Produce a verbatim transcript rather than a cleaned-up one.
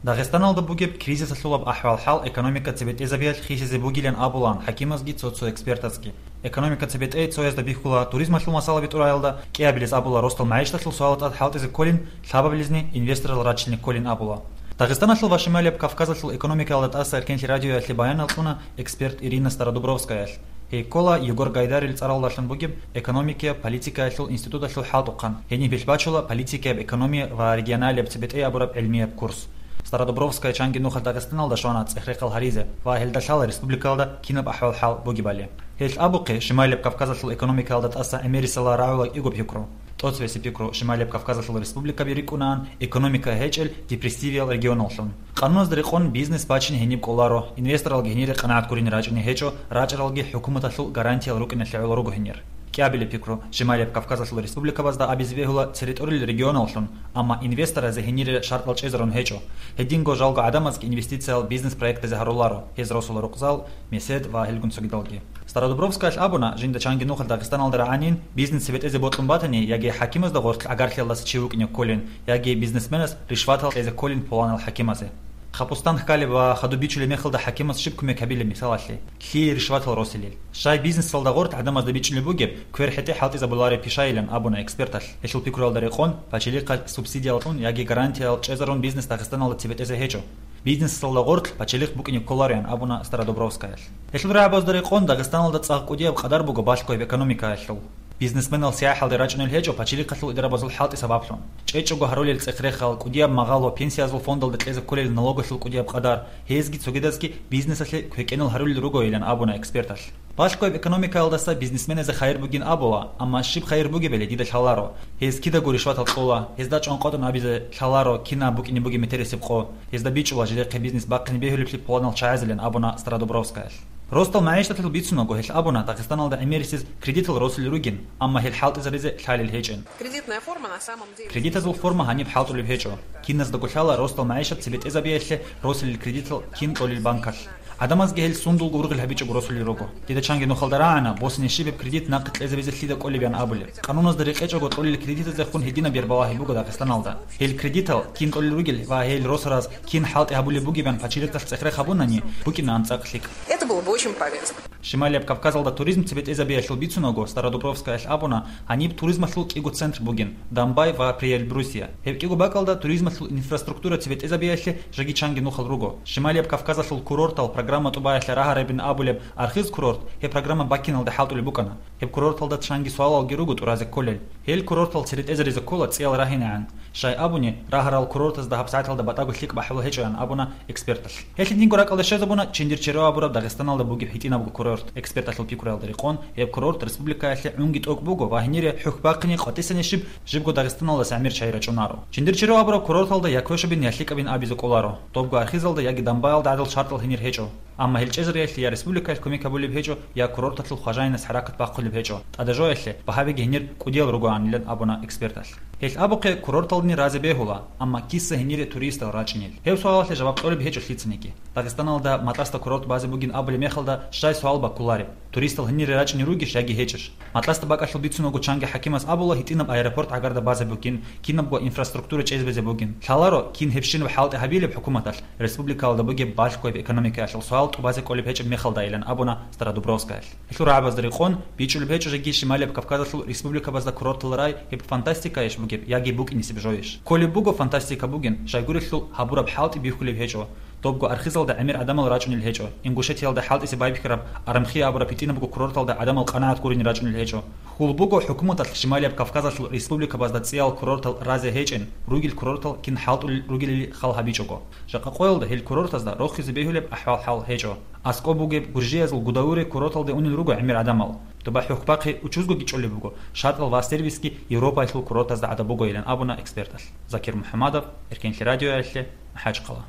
Дагъистаналда бугеб кризисалъулаб ахӀвал-хӀал экономика цебетӀезабиялъ хисизе бугилан абулаан хӀакимазги цо-цо экспертазги. Экономика цебетӀей цоязда бихьула туризмалъул масала битӀураялда, кӀиабилез абула ростал магӀишаталъул суалда тӀад хӀалтӀизе кколин, лъабабилезни инвесторал рачилни кколин абула. Дагъистаналъул ва Шималияб Кавказалъул экономикаялда тӀаса Эркенлъи радиоялъе баянал кьуна эксперт Ирина Стародубровскаялъ. Гьей ккола Егор Гайдарил цӀаралдалъун бугеб экономикияб политикаялъул институталъул хӀалтӀухъан, гьениб гьелъ бачула политикияб экономия ва регионалияб цебетӀей абураб гӀилмияб курс. Стародубровская чанги нухалъ Дагъистаналда щвана цӀех-рехал гьаризе ва гьелда лъала республикаялда кинаб ахӀвал-хӀал бугебали. Гьелъ абухъе, Шималияб Кавказалъул экономикаялда тӀаса гӀемерисела рагӀула кӀиго пикру. ТӀоцебесеб пикру: Шималияб Кавказалъул республикаби рикӀкӀунаан экономика гьечӀел депрессивиял регионаллъун. Къануназда рекъон бизнес бачин гьениб кӀоларо, инвесторалги гьенире къанагӀатккурин рачӀине гьечӀо, рачӀаралги хӀукуматалъул гарантиял рукӀиналъе гӀоло руго гьенир. КӀиабилеб пикру: Шималияб Кавказалъул республикабазда абизе бегьула цере тӀорил регионаллъун, амма инвесторазе гьенире шартӀал чӀезарун гьечӀо. Гьединго жалго гӀадамазги инвестициял бизнес-проектазе гьаруларо, гьез росула рукъзал, месед ва гьелгун цогидалги. Стародубровскаялъ абуна, жинда чанги нухалъ Дагъистаналда рагӀанин бизнес цебетӀезе бокьун батани, яги хӀакимазда гъорлъ гӀагарлъиялдаса чи вукӀине кколин, яги бизнесменас ришватал кьезе кколин пуланал хӀакимазе. Хапустан хкалеб ва хадуб бичулеб мехалда хӀакимас щиб кумек гьабилеб мисалалъе? Лъие ришватал росилел? Щай бизнесалда гъорлъ гӀадамазда бичӀчӀулеб бугеб, квер хӀетӀе хӀалтӀизабулареб пишайилан абуна эксперталъ. Гьелъул пикруялда рекъон, пачелихъа субсидиялъун яги гарантиял чӀезарун бизнес Дагъистаналда цебетӀезе гьечӀо. Бизнесалда гъорлъ пачелихъ букӀине кколарин абуна Стародубровскаялъ. Гьелъул рагӀабазда рекъон, Дагъистаналда цӀакъ кӀудияб къадар буго балъгояб экономикаялъул. Бизнесменал сияхӀалде рачӀунел гьечӀо пачелихъалъул идарабазул хӀалтӀи сабаблъун. ЧӀечӀого гьарулел цӀех-рехал, кӀудияб магъал ва пенсиязул фондалда кьезе кколел налогалъул кӀудияб къадар, гьезги цогидазги бизнесалъе квекӀенал гьарулел ругойилан абуна эксперталъ. Балъгояб экономикаялдаса бизнесменазе хайир бугин абула, амма щиб хайир бугебали дида лъаларо. Гьез кидаго ришватал кьола, гьезда чӀванкъотӀун абизе лъаларо кинаб букӀине бугеб метерисеб къо. Гьезда бичӀчӀула жидехъе бизнес бахъине бегьулеблъи пуланал чагӀазилан абуна Стародубровскаялъ. Ростал магӀишаталъул бицунаго гьелъ абуна Дагъистаналда гӀемерисез кредитал росулел ругин, амма гьел хӀалтӀизаризе лъалел гьечӀин. Кредитная форма на самом деле. Кредитазул форма гьаниб хӀалтӀулеб гьечӀо. Киназдаго лъала ростал магӀишат цебетӀезабиялъе росулел кредитал кин кьолел банкалъ. ГӀадамазги гьел сундулго ургъел гьабичӀого росулел руго. Дида чанги нухалда рагӀана, босине щиб гьеб кредит нахъе кьезабизе лъида кӀолеб ян абулеб. Къануназда рекъечӀого кьолел кредитазехун гьединаб бербалагьи буго Дагъистаналда. Гьел кредитал кин кьолел ругел ва гьел росараз кин хӀалтӀи гьабулеб бугебан пачелихъалъ цӀех-рех гьабунани, букӀинаан цӀакъ лъикӀ. Это было бы очень полезно. Шималияб Кавказалда туризм цебетӀезабиялъул бицунаго Стародубровскаялъ абуна, гьаниб туризмалъул кӀиго центр бугин, Дамбай ва Приэльбрусья. Гьеб кӀиго бакӀалда туризмалъул инфраструктура цебетӀезабиялъе жеги чанги нухал руго. Шималияб Кавказалъул курортал программа тӀубаялъе рагьарабин абулеб Архыз курорт гьеб программа баккиналда хӀалтӀулеб букӀана. Гьеб курорталда чанги суалалги руго тӀуразе кколел. Гьел курортал церетӀезаризе ккола цӀиял рагьинегӀан. Щай абуни, рагьарал курортазда гьабсагӀаталда батӀаго лъикӀ бахӀула гьечӀоян абуна эксперталъ. Гьелъ гьединго ракӀалде щвезабуна Чендерчеро абураб Дагъистаналда бугеб гьитӀинабго курорт. Эксперталъул пикруялда рекъон, гьеб курорт республикаялъе гӀунги тӀокӀ буго ва гьенире хӀухь бахъине къватӀисани щиб, жибго Дагъистаналдаса гӀемер чагӀи рачӀунаро. Чендерчеро абураб курорталда я квешабин, я лъикӀабин абизе кӀоларо. Добго Архизалда яги Дамбаялда гӀадал шартӀал гьенир гьечӀо. Амма гьел чӀезариялъе я республикаялъ кумек гьабулеб гьечӀо, я курорталъул хважаинас хӀаракат бахъулеб гьечӀо, тӀадежоялъе багьабиги гьенир кӀудиял ругоанилан абуна эксперталъ. Гьел абухъе курорталдани разе бегьула, амма киса гьенире туристал рачӀинел? Гьеб суалалъе жаваб кьолеб гьечӀо лъицаниги. Дагъистаналда Матасда курорт базе бугин абулеб мехалда щай суал баккулареб? Туристал гьенире рачӀине ругищ яги гьечӀищ? Матасда бакӀалъул бицунаго чанги хӀакимас абула гьитӀинаб аэропорт гӀагарда базе бугин, кинабго инфраструктура чӀезабизе бугин. Лъаларо, кин гьебщинаб хӀалтӀи гьабилеб хӀукуматалъ, республикалда бугеб балъгояб экономикаялъул суал тӀубазе кӀолеб гьечӀеб мехалдайилан абуна Стародубровскаялъ. Гьелъул рагӀабазда рекъон, бичӀчӀулеб гьечӀо жеги Шималияб Кавказалъул республикабазда курортал рай гьеб фантастикаеш бугеб яги букӀинисеб жоеш. Кколеб буго фантастика бугин, щайгурелъул гьабураб хӀалтӀи бихьулеб гьечӀо. Добго Архизалда гӀемер гӀадамал рачӀунел гьечӀо, Ингушетиялда хӀалтӀизе байбихьараб Арамхи абураб гьитӀинабго курорталда гӀадамал къанагӀат гурин рачӀунел гьечӀо. Хьул буго хӀукуматалъ Шималияб Кавказалъул республикабазда цӀиял курортал разе гьечӀин, ругел курортал кин хӀалтӀулел ругелили хал гьабичӀого. Жакъа къоялда гьел курортазда рохизе бегьулеб ахӀвал-хӀал гьечӀо. АскӀоб бугеб гуржиязул Гудаури курорталде унел руго гӀемер гӀадамал. Доба хӀухь бахъи учузгоги чӀолеб буго, шартӀал ва сервисги Европаялъул курортазда гӀадаб бугойилан абуна эксперталъ. Закир МухӀамадов, Эркенлъи радиоялъе, МахӀачхъала.